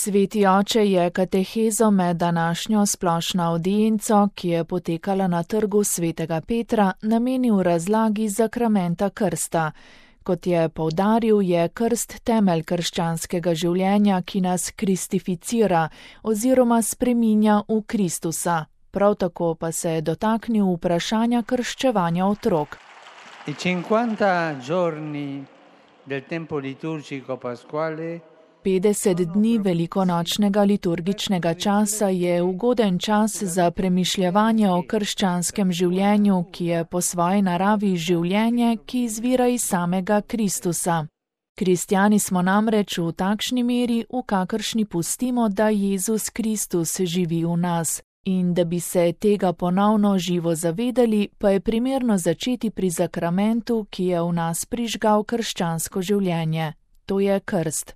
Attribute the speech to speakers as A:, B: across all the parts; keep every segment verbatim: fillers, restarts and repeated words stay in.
A: Sveti oče je katehezo med današnjo splošno avdienco, ki je potekala na trgu svetega Petra, namenil razlagi zakramenta krsta. Kot je poudaril, je krst temelj krščanskega življenja, ki nas kristificira oziroma spreminja v Kristusa. Prav tako pa se je dotaknil vprašanja krščevanja otrok.
B: I cinquanta giorni del tempo liturgico pasquale
A: petdeset dni velikonočnega liturgičnega časa je ugoden čas za premišljevanje o krščanskem življenju, ki je po svoji naravi življenje, ki izvira iz samega Kristusa. Kristjani smo namreč v takšni meri, v kakršni pustimo, da Jezus Kristus živi v nas. In da bi se tega ponovno živo zavedali, pa je primerno začeti pri zakramentu, ki je v nas prižgal krščansko življenje. To je krst.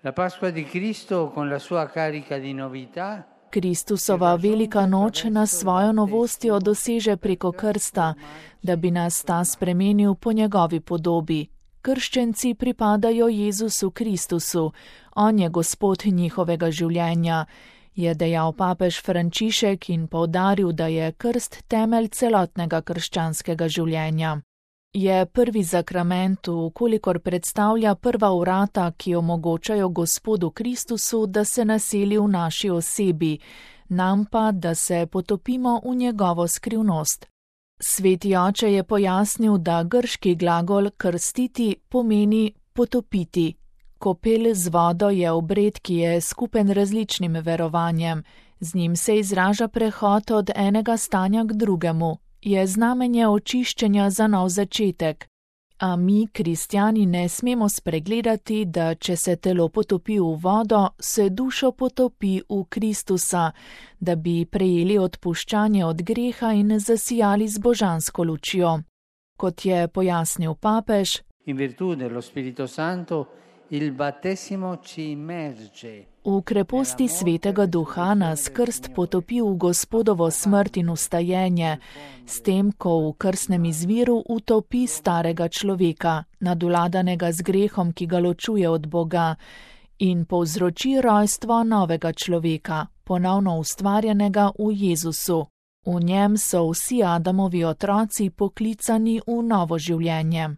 B: La Pasqua di Cristo con la sua carica di novità.
A: Kristusova velika noč nas svojo novostjo doseže preko krsta, da bi nas ta spremenil po njegovi podobi. Krščenci pripadajo Jezusu Kristusu, on je Gospod njihovega življenja, je dejal papež Frančišek in poudaril, da je krst temelj celotnega krščanskega življenja. Je prvi zakrament, vkolikor predstavlja prva vrata, ki omogočajo Gospodu Kristusu, da se naseli v naši osebi, nam pa, da se potopimo v njegovo skrivnost. Sveti oče je pojasnil, da grški glagol krstiti pomeni potopiti. Kopel z vodo je obred, ki je skupen različnim verovanjem. Z njim se izraža prehod od enega stanja k drugemu. Je znamenje očiščenja za nov začetek. A mi, kristjani, ne smemo spregledati, da če se telo potopi v vodo, se dušo potopi v Kristusa, da bi prejeli odpuščanje od greha in zasijali z božansko lučjo. Kot je pojasnil papež,
B: In virtù dello Spirito Santo il battesimo ci immerge.
A: V kreposti svetega duha nas krst potopi v Gospodovo smrt in ustajenje, s tem, ko v krstnem izviru utopi starega človeka, nadvladanega z grehom, ki ga ločuje od Boga, in povzroči rojstvo novega človeka, ponovno ustvarjenega v Jezusu. V njem so vsi Adamovi otroci poklicani v novo življenje.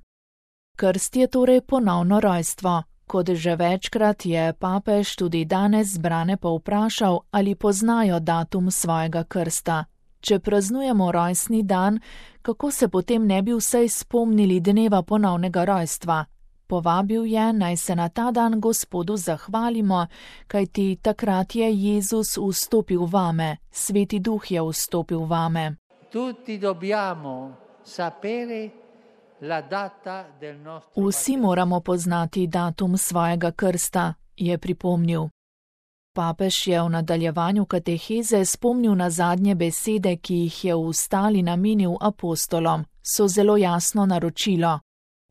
A: Krst je torej ponovno rojstvo. Kot že večkrat je papež tudi danes zbrane povprašal, ali poznajo datum svojega krsta. Če praznujemo rojstni dan, kako se potem ne bi vsej spomnili dneva ponovnega rojstva? Povabil je, naj se na ta dan Gospodu zahvalimo, kajti takrat je Jezus vstopil vame, Sveti Duh je vstopil vame.
B: Tutti dobbiamo sapere la data del nostro
A: Vsi moramo poznati datum svojega krsta, je pripomnil. Papež je v nadaljevanju kateheze spomnil na zadnje besede, ki jih je v Ustali namenil apostolom, so zelo jasno naročilo.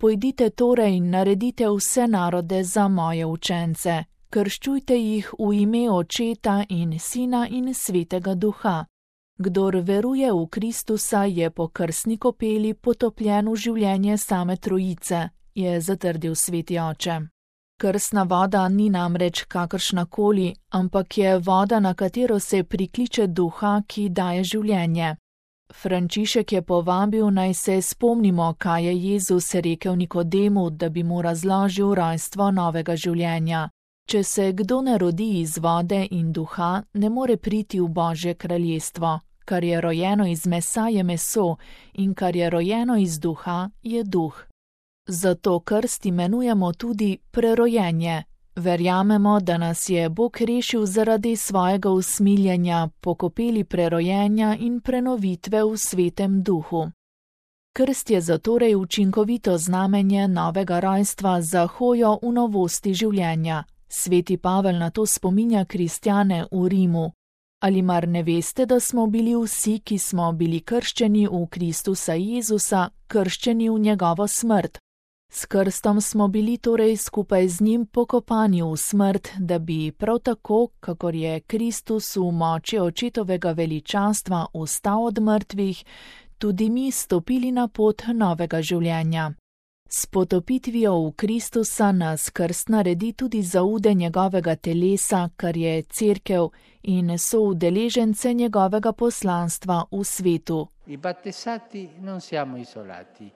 A: Pojdite torej in naredite vse narode za moje učence, krščujte jih v ime Očeta in Sina in Svetega Duha. Kdor veruje v Kristusa, je po krstni kopeli potopljen v življenje same Trojice, je zatrdil Sveti oče. Krstna voda ni namreč kakršnakoli, ampak je voda, na katero se prikliče Duha, ki daje življenje. Frančišek je povabil, naj se spomnimo, kaj je Jezus rekel Nikodemu, da bi mu razložil rojstvo novega življenja. Če se kdo ne rodi iz vode in duha, ne more priti v Božje kraljestvo. Kar je rojeno iz mesa, je meso, in kar je rojeno iz duha, je duh. Zato krst imenujemo tudi prerojenje. Verjamemo, da nas je Bog rešil zaradi svojega usmiljenja, po kopeli prerojenja in prenovitve v Svetem Duhu. Krst je zatorej učinkovito znamenje novega rojstva za hojo v novosti življenja. Sveti Pavel na to spominja kristjane v Rimu. Ali mar ne veste, da smo bili vsi, ki smo bili krščeni v Kristusa Jezusa, krščeni v njegovo smrt? S krstom smo bili torej skupaj z njim pokopani v smrt, da bi prav tako, kakor je Kristus v moči očetovega veličanstva vstal od mrtvih, tudi mi stopili na pot novega življenja. S potopitvijo v Kristusa nas krst naredi tudi zaude njegovega telesa, kar je cerkev, in so udeležence njegovega poslanstva v svetu.
B: I battesati non siamo isolati.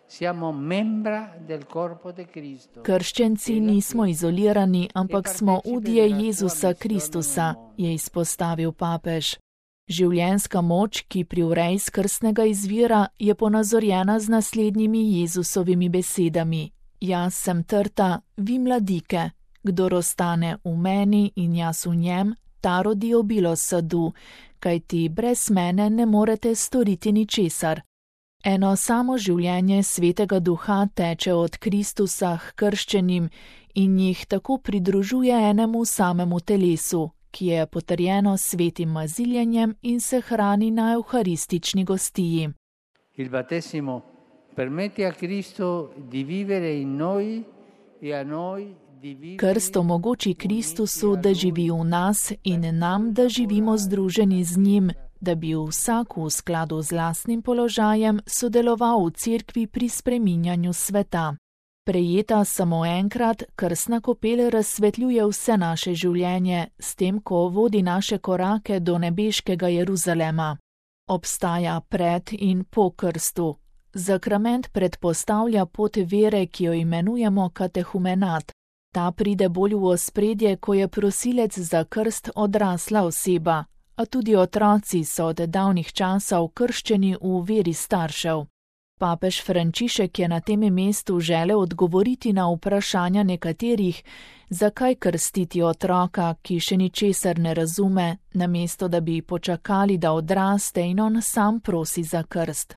B: Siamo membra del corpo di Cristo.
A: Krščenci nismo izolirani, ampak smo udje Jezusa Kristusa, je izpostavil papež. Življenjska moč, ki pri vreji s krstnega izvira, je ponazorjena z naslednjimi Jezusovimi besedami. Jaz sem trta, vi mladike. Kdor ostane v meni in jaz v njem, ta rodi obilo sadu, kajti brez mene ne morete storiti ničesar. Eno samo življenje Svetega Duha teče od Kristusa k krščenim in jih tako pridružuje enemu samemu telesu, ki je potrjeno s svetim maziljenjem in se hrani na evharistični gostiji.
B: Il battesimo permette a Cristo di vivere in noi e a noi di vivere.
A: Krst omogoči Kristusu, da živi v nas in nam, da živimo združeni z njim, da bi vsak v skladu z lastnim položajem sodeloval v cerkvi pri spreminjanju sveta. Prejeta samo enkrat, krstna kopel razsvetljuje vse naše življenje, s tem, ko vodi naše korake do nebeškega Jeruzalema. Obstaja pred in po krstu. Zakrament predpostavlja pot vere, ki jo imenujemo katehumenat. Ta pride bolj v ospredje, ko je prosilec za krst odrasla oseba, a tudi otroci so od davnih časov krščeni v veri staršev. Papež Frančišek je na tem mestu želel odgovoriti na vprašanja nekaterih, zakaj krstiti otroka, ki še ničesar ne razume, namesto da bi počakali, da odraste in on sam prosi za krst.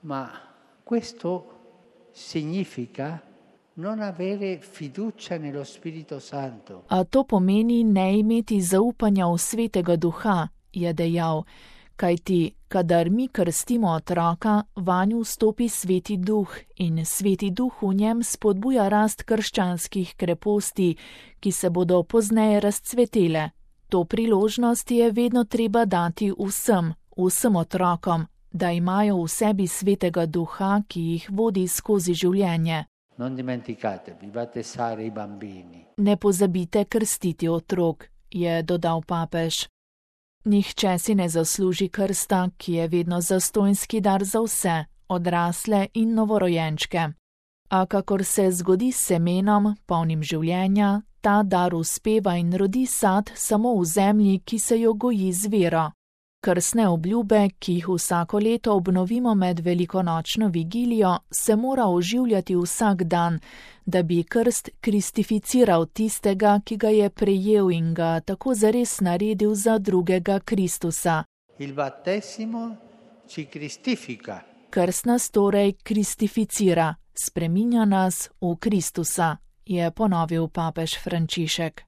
B: Ma questo significa non avere fiducia nello Spirito Santo.
A: A to pomeni ne imeti zaupanja v Svetega Duha, je dejal, kajti kadar mi krstimo otroka, vanju vstopi Sveti Duh in Sveti Duh v njem spodbuja rast krščanskih kreposti, ki se bodo pozneje razcvetele. To priložnost je vedno treba dati vsem, vsem otrokom, da imajo v sebi Svetega Duha, ki jih vodi skozi življenje.
B: Non dimenticatevi, battesare i bambini.
A: Ne pozabite krstiti otrok, je dodal papež. Nihče si ne zasluži krsta, ki je vedno zastonjski dar za vse, odrasle in novorojenčke. A kakor se zgodi s semenom, polnim življenja, ta dar uspeva in rodi sad samo v zemlji, ki se jo goji z vero. Krstne obljube, ki jih vsako leto obnovimo med velikonočno vigilijo, se mora oživljati vsak dan, da bi krst kristificiral tistega, ki ga je prejel in ga tako zares naredil za drugega Kristusa.
B: Il battesimo ci cristifica.
A: Krst nas torej kristificira, spreminja nas v Kristusa, je ponovil papež Frančišek.